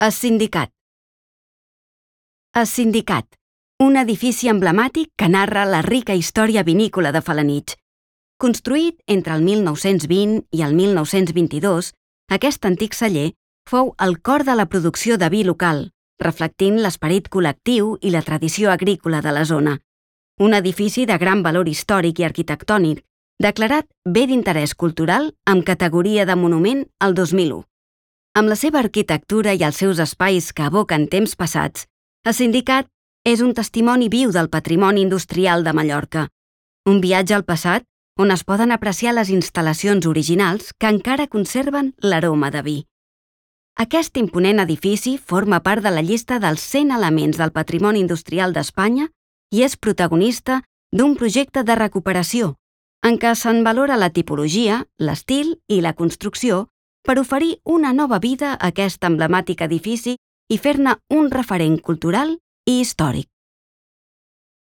El Sindicat. El Sindicat, un edifici emblemàtic que narra la rica història vinícola de Felanitx. Construït entre el 1920 i el 1922, aquest antic celler fou el cor de la producció de vi local, reflectint l'esperit col·lectiu i la tradició agrícola de la zona. Un edifici de gran valor històric i arquitectònic, declarat bé d'interès cultural amb categoria de monument el 2001. Amb la seva arquitectura i els seus espais que evoquen temps passats, el Sindicat és un testimoni viu del patrimoni industrial de Mallorca. Un viatge al passat on es poden apreciar les instal·lacions originals que encara conserven l'aroma de vi. Aquest imponent edifici forma part de la llista dels 100 elements del patrimoni industrial d'Espanya i és protagonista d'un projecte de recuperació, en què se'n valora la tipologia, l'estil i la construcció per oferir una nova vida a aquest emblemàtic edifici i fer-ne un referent cultural i històric.